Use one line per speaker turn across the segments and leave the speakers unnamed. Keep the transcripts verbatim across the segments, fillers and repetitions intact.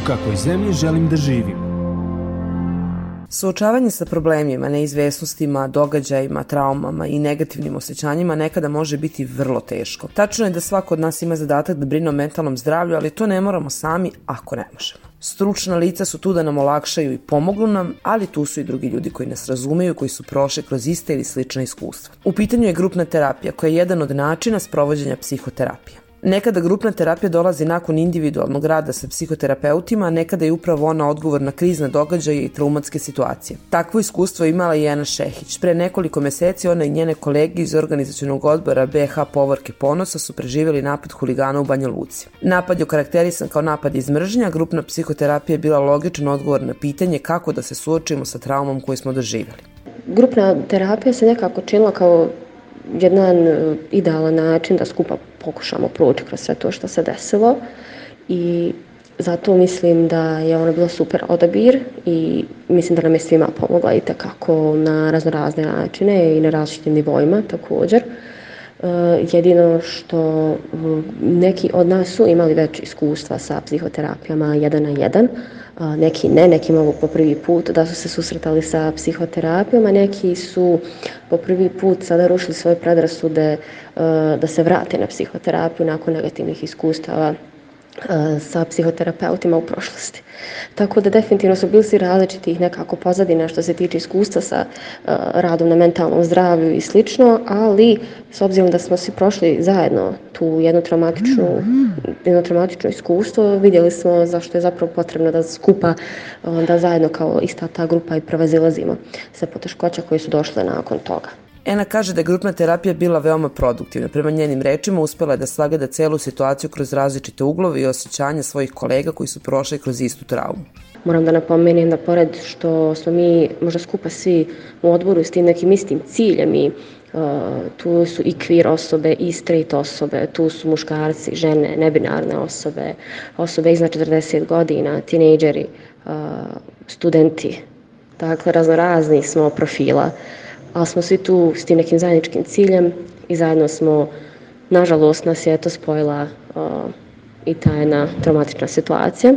kakvoj zemlji želim da živim.
Suočavanje sa problemima, neizvesnostima, događajima, traumama i negativnim osjećanjima nekada može biti vrlo teško. Tačno je da svako od nas ima zadatak da brine o mentalnom zdravlju, ali to ne moramo sami ako ne možemo. Stručna lica su tu da nam olakšaju i pomognu nam, ali tu su i drugi ljudi koji nas razumeju, koji su prošli kroz iste ili slična iskustva. U pitanju je grupna terapija, koja je jedan od načina sprovođenja psihoterapije. Nekada grupna terapija dolazi nakon individualnog rada sa psihoterapeutima, a nekada je upravo ona odgovor na krizne događaje i traumatske situacije. Takvo iskustvo imala i Ena Šehić. Pre nekoliko meseci ona i njene kolege iz organizacionog odbora be ha Povorke ponosa su preživjeli napad huligana u Banja Luci. Napad je okarakterisan kao napad iz mržnja, grupna psihoterapija je bila logičan odgovor na pitanje kako da se suočimo sa traumom koju smo doživjeli.
Grupna terapija se nekako činila kao jedan idealan način da skupa pokušamo proći kroz sve to što se desilo i zato mislim da je ona bila super odabir i mislim da nam je svima pomogla i tekako na raznorazne načine i na različitim nivoima također. Jedino što neki od nas su imali već iskustva sa psihoterapijama jedan na jedan, neki ne, neki mogu po prvi put da su se susretali sa psihoterapijom, a neki su po prvi put sada rušili svoje predrasude da se vrate na psihoterapiju nakon negativnih iskustava sa psihoterapeutima u prošlosti. Tako da definitivno su bili svi različitih nekako pozadina što se tiče iskustva sa uh, radom na mentalnom zdravlju i slično, ali s obzirom da smo svi prošli zajedno tu jednu traumatičnu, jedno traumatično iskustvo, vidjeli smo zašto je zapravo potrebno da skupa, da zajedno kao ista ta grupa i prevazilazimo sve poteškoće koje su došle nakon toga.
Ena kaže da je grupna terapija bila veoma produktivna. Prema njenim rečima uspela je da sagleda celu situaciju kroz različite uglove i osjećanja svojih kolega koji su prošli kroz istu traumu.
Moram da napomenem da pored što smo mi možda skupa svi u odboru s tim nekim istim ciljem i uh, tu su i queer osobe i straight osobe, tu su muškarci, žene, nebinarne osobe, osobe iznad četrdeset godina, tinejdžeri, uh, studenti, dakle raznorazni smo profila. Ali smo svi tu s tim nekim zajedničkim ciljem i zajedno smo, nažalost, nas je eto spojila uh, i ta jedna traumatična situacija.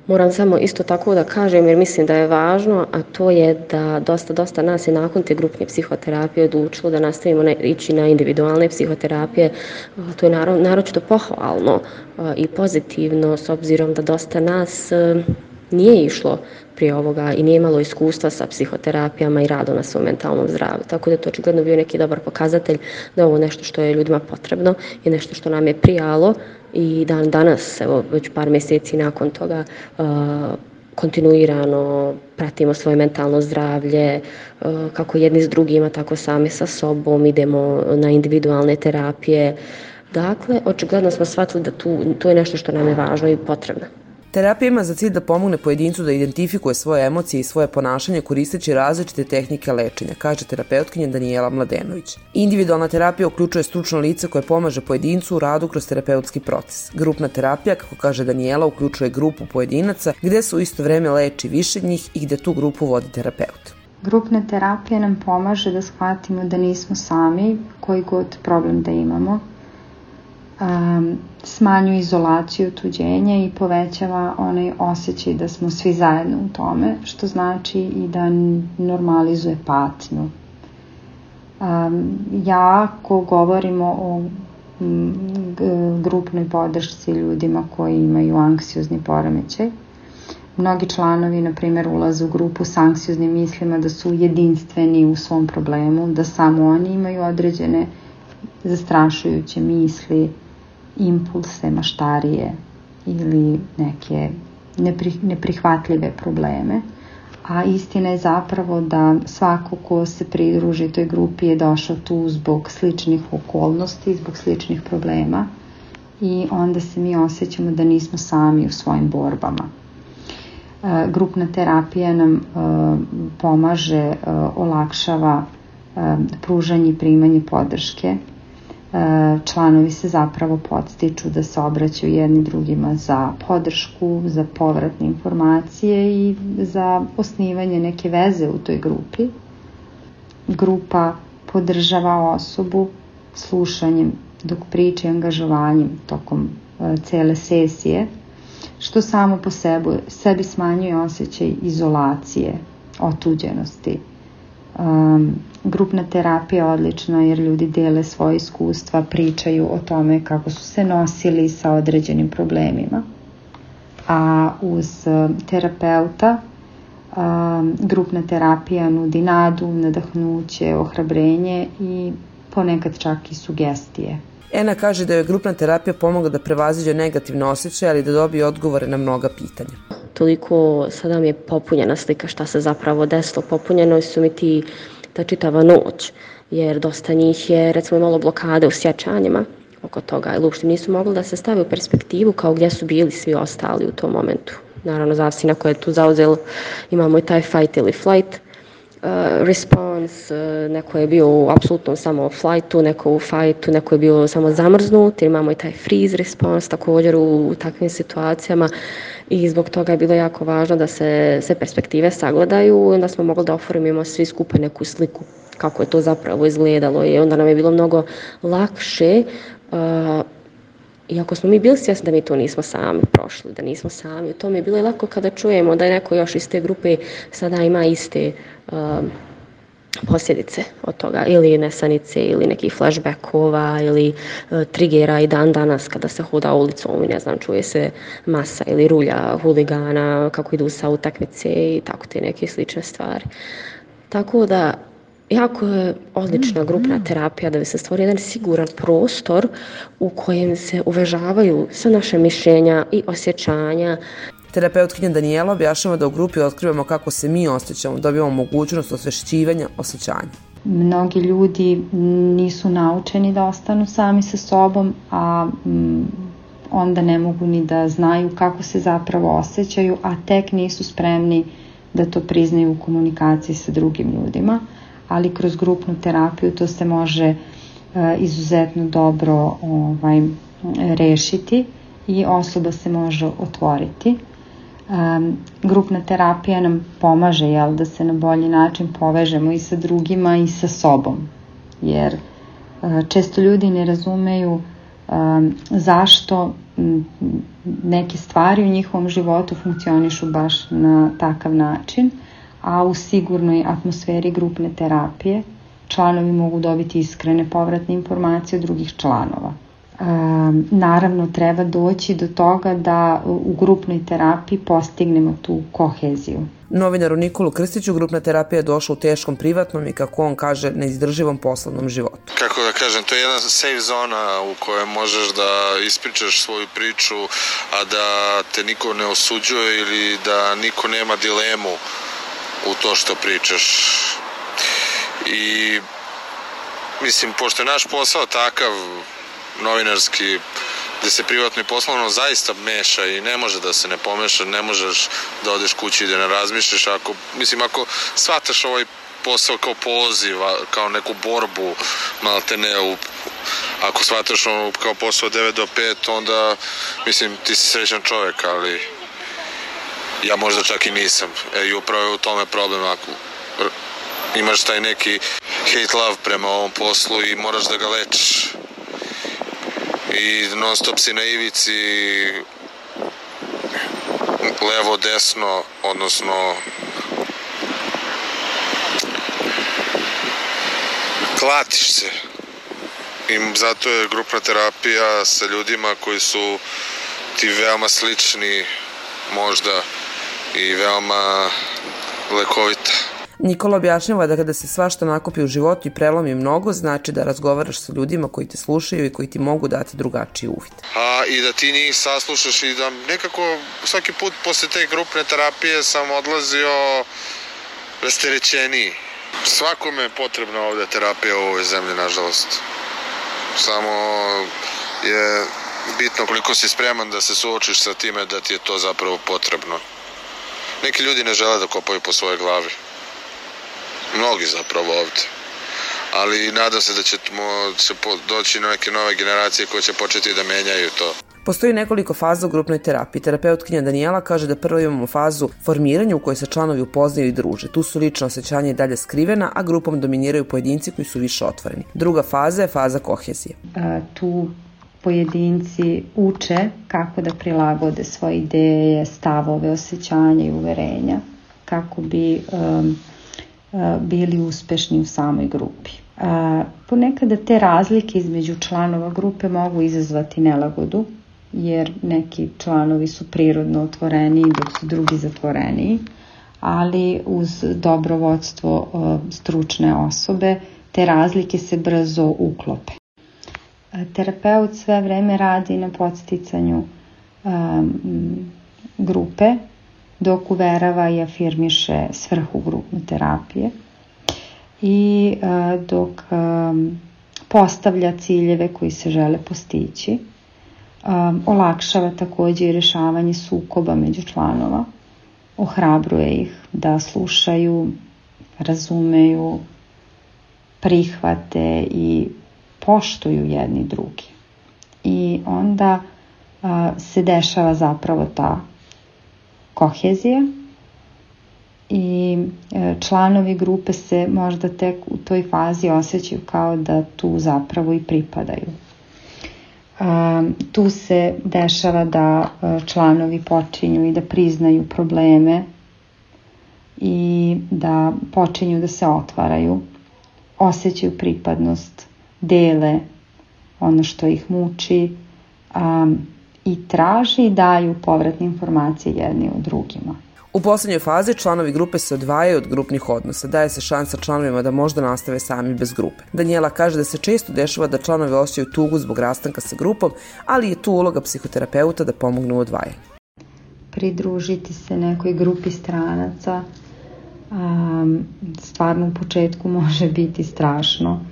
Moram samo isto tako da kažem, jer mislim da je važno, a to je da dosta, dosta nas je nakon te grupne psihoterapije odlučilo da nastavimo na, ići na individualne psihoterapije. Uh, to je naro, naročito pohvalno uh, i pozitivno, s obzirom da dosta nas uh, nije išlo prije ovoga i nije imalo iskustva sa psihoterapijama i radom na svom mentalnom zdravlju. Tako da je to očigledno bio neki dobar pokazatelj da je ovo nešto što je ljudima potrebno i nešto što nam je prijalo i dan danas, evo već par mjeseci nakon toga, uh, kontinuirano pratimo svoje mentalno zdravlje, uh, kako jedni s drugima, tako sami sa sobom, idemo na individualne terapije. Dakle, očigledno smo shvatili da tu, to je nešto što nam je važno i potrebno.
Terapija ima za cilj da pomogne pojedincu da identifikuje svoje emocije i svoje ponašanje koristeći različite tehnike lečenja, kaže terapeutkinja Danijela Mladenović. Individualna terapija uključuje stručno lice koje pomaže pojedincu u radu kroz terapeutski proces. Grupna terapija, kako kaže Danijela, uključuje grupu pojedinaca gde se u isto vreme leči više njih i gde tu grupu vodi terapeut.
Grupna terapija nam pomaže da shvatimo da nismo sami, koji god problem da imamo. Um, smanjuje izolaciju, otuđenja i povećava onaj osjećaj da smo svi zajedno u tome, što znači i da normalizuje patnju. Um, ja, ako govorimo o m, grupnoj podršci ljudima koji imaju anksiozni poremećaj, mnogi članovi, na primjer, ulaze u grupu s anksioznim mislima da su jedinstveni u svom problemu, da samo oni imaju određene zastrašujuće misli, impulse, maštarije ili neke neprihvatljive probleme. A istina je zapravo da svako ko se pridruži toj grupi je došao tu zbog sličnih okolnosti, zbog sličnih problema i onda se mi osjećamo da nismo sami u svojim borbama. Grupna terapija nam pomaže, olakšava pružanje i primanje podrške. Članovi se zapravo podstiču da se obraćaju jedni drugima za podršku, za povratne informacije i za osnivanje neke veze u toj grupi. Grupa podržava osobu slušanjem dok priča i angažovanjem tokom cele sesije, što samo po sebi, sebi smanjuje osjećaj izolacije, otuđenosti. Um, grupna terapija je odlična jer ljudi dele svoje iskustva, pričaju o tome kako su se nosili sa određenim problemima. A uz terapeuta um, grupna terapija nudi nadu, nadahnuće, ohrabrenje i ponekad čak i sugestije.
Ena kaže da joj grupna terapija pomogla da prevaziđe negativne osjećaje, ali da dobije odgovore na mnoga pitanja.
Toliko sada mi je popunjena slika šta se zapravo desilo. Popunjeno su mi ti ta čitava noć, jer dosta njih je recimo imalo blokade u sjećanjima oko toga, ili uopšte nisu mogli da se stave u perspektivu kao gdje su bili svi ostali u tom momentu. Naravno, zavisi na koje je tu zauzelo, imamo i taj fight ili flight uh, response, uh, neko je bio u apsolutnom samo flightu, neko u fightu, neko je bio samo zamrznut, imamo i taj freeze response također u, u takvim situacijama i zbog toga je bilo jako važno da se sve perspektive sagledaju i onda smo mogli da oformimo svi skupa neku sliku kako je to zapravo izgledalo i onda nam je bilo mnogo lakše uh, iako smo mi bili svjesni da mi to nismo sami prošli, da nismo sami. To mi je bilo lako kada čujemo da je neko još iz te grupe sada ima iste uh, posljedice od toga, ili nesanice, ili nekih flashbackova, ili uh, trigera i dan danas kada se hoda ulicom i ne znam, čuje se masa ili rulja huligana, kako idu sa utakmice i tako te neke slične stvari. Tako da jako je odlična grupna terapija da bi se stvorio jedan siguran prostor u kojem se uvažavaju sve naše mišljenja i osjećanja.
Terapeutkinja Danijela objašnjava da u grupi otkrivamo kako se mi osjećamo, dobijamo mogućnost osvešćivanja osjećanja.
Mnogi ljudi nisu naučeni da ostanu sami sa sobom, a mm, onda ne mogu ni da znaju kako se zapravo osjećaju, a tek nisu spremni da to priznaju u komunikaciji sa drugim ljudima. Ali kroz grupnu terapiju to se može uh, izuzetno dobro ovaj, rešiti i osoba se može otvoriti. Um, grupna terapija nam pomaže jel, da se na bolji način povežemo i sa drugima i sa sobom. Jer uh, često ljudi ne razumeju um, zašto m, neke stvari u njihovom životu funkcionišu baš na takav način, a u sigurnoj atmosferi grupne terapije članovi mogu dobiti iskrene povratne informacije od drugih članova. E, naravno, treba doći do toga da u grupnoj terapiji postignemo tu koheziju.
Novinaru Nikolu Krstiću grupna terapija je došla u teškom privatnom i, kako on kaže, neizdrživom poslovnom životu.
Kako da kažem, to je jedna safe zona u kojoj možeš da ispričaš svoju priču, a da te niko ne osuđuje ili da niko nema dilemu u to što pričaš. I mislim, pošto je naš posao takav novinarski, gde se privatno i poslovno zaista meša i ne može da se ne pomeša, ne možeš da odeš kući i da ne razmišljaš. Ako, mislim, ako shvataš ovaj posao kao poziv, kao neku borbu, malte ne, u, ako shvataš ono kao posao od devet do pet, onda, mislim, ti si srećan čovjek, ali ja možda čak i nisam. E, i upravo je u tome problem. Ako imaš taj neki hate love prema ovom poslu i moraš da ga lečiš. I non stop si na ivici levo, desno, odnosno klatiš se. I zato je grupna terapija sa ljudima koji su ti veoma slični možda i veoma lekovita.
Nikola objašnjava da kada se svašta nakupi u životu i prelomi mnogo, znači da razgovaraš sa ljudima koji te slušaju i koji ti mogu dati drugačiji uvid.
A i da ti njih saslušaš i da nekako svaki put posle te grupne terapije sam odlazio rasterećeniji. Svakome je potrebna ovde terapija u ovoj zemlji, nažalost. Samo je bitno koliko si spreman da se suočiš sa time da ti je to zapravo potrebno. Neki ljudi ne žele da kopaju po svojoj glavi. Mnogi zapravo ovde. Ali nadam se da ćemo će doći neke nove generacije koje će početi da menjaju to.
Postoji nekoliko faza u grupnoj terapiji. Terapeutkinja Danijela kaže da prvo imamo fazu formiranja u kojoj se članovi upoznaju i druže. Tu su lična osjećanja i dalje skrivena, a grupom dominiraju pojedinci koji su više otvoreni. Druga faza je faza kohezije.
E, tu pojedinci uče kako da prilagode svoje ideje, stavove, osjećanja i uverenja kako bi um, uh, bili uspešni u samoj grupi. Uh, ponekada te razlike između članova grupe mogu izazvati nelagodu, jer neki članovi su prirodno otvoreniji dok su drugi zatvoreniji, ali uz dobro vodstvo uh, stručne osobe te razlike se brzo uklope. Terapeut sve vreme radi na podsticanju um, grupe, dok uverava i afirmiše svrhu grupne terapije i uh, dok um, postavlja ciljeve koji se žele postići. Um, olakšava također i rješavanje sukoba među članova, ohrabruje ih da slušaju, razumeju, prihvate i poštuju jedni drugi. I onda a, se dešava zapravo ta kohezija i e, članovi grupe se možda tek u toj fazi osjećaju kao da tu zapravo i pripadaju. A, tu se dešava da a, članovi počinju i da priznaju probleme i da počinju da se otvaraju, osjećaju pripadnost, dele ono što ih muči um, i traži i daju povratne informacije jedni od drugima.
U poslednjoj fazi članovi grupe se odvajaju od grupnih odnosa, daje se šansa članovima da možda nastave sami bez grupe. Danijela kaže da se često dešava da članovi osjećaju tugu zbog rastanka sa grupom, ali je tu uloga psihoterapeuta da pomogne u odvajanju.
Pridružiti se nekoj grupi stranaca um, stvarno u početku može biti strašno,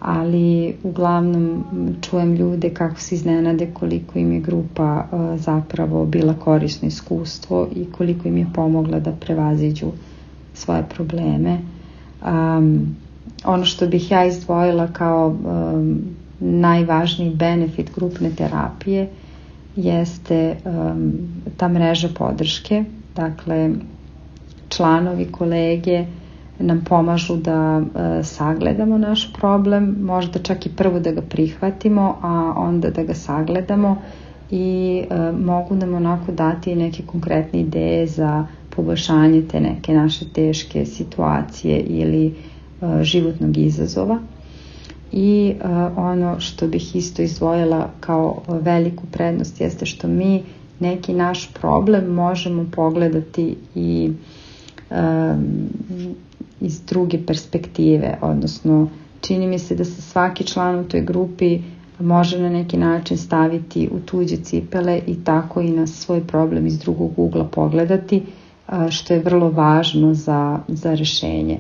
ali uglavnom čujem ljude kako se iznenade koliko im je grupa uh, zapravo bila korisno iskustvo i koliko im je pomogla da prevaziđu svoje probleme. Um, ono što bih ja izdvojila kao um, najvažniji benefit grupne terapije jeste um, ta mreža podrške. Dakle, članovi, kolege nam pomažu da e, sagledamo naš problem, možda čak i prvo da ga prihvatimo, a onda da ga sagledamo i e, mogu nam onako dati neke konkretne ideje za poboljšanje te neke naše teške situacije ili e, životnog izazova. I e, ono što bih isto izdvojila kao veliku prednost jeste što mi neki naš problem možemo pogledati i e, iz druge perspektive, odnosno čini mi se da se svaki član u toj grupi može na neki način staviti u tuđe cipele i tako i na svoj problem iz drugog ugla pogledati, što je vrlo važno za, za rješenje.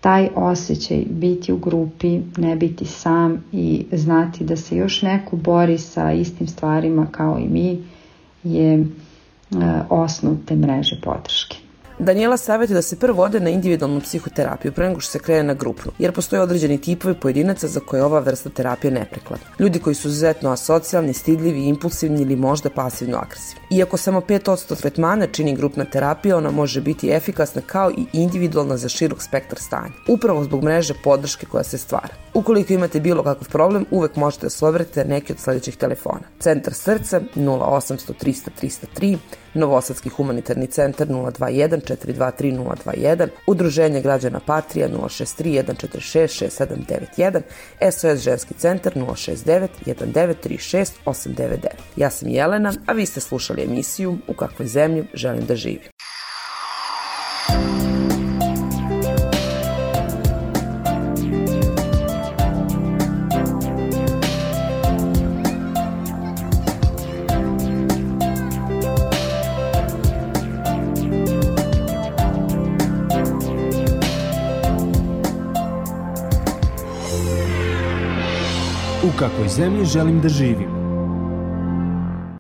Taj osjećaj biti u grupi, ne biti sam i znati da se još neko bori sa istim stvarima kao i mi je osnov te mreže podrške.
Danijela savjetuje da se prvo ode na individualnu psihoterapiju pre nego što se krene na grupnu, jer postoje određeni tipovi pojedinaca za koje ova vrsta terapije neprekladna. Ljudi koji su izuzetno asocijalni, stidljivi, impulsivni ili možda pasivno agresivni. Iako samo pet posto tretmana čini grupna terapija, ona može biti efikasna kao i individualna za širok spektar stanja, upravo zbog mreže podrške koja se stvara. Ukoliko imate bilo kakav problem, uvek možete da se obratite neki od sledećih telefona. Centar srca nula osamsto trista trista tri, Novosadski humanitarni centar nula dva jedan četiri dva tri nula dva jedan, Udruženje građana Patrija nula šest tri jedan četiri šest šest sedam devet jedan, S O S ženski centar nula šest devet jedan devet tri šest osam devet devet. Ja sam Jelena, a vi ste slušali emisiju U kakvoj zemlji želim da živim.
U kakvoj zemlji želim da živim.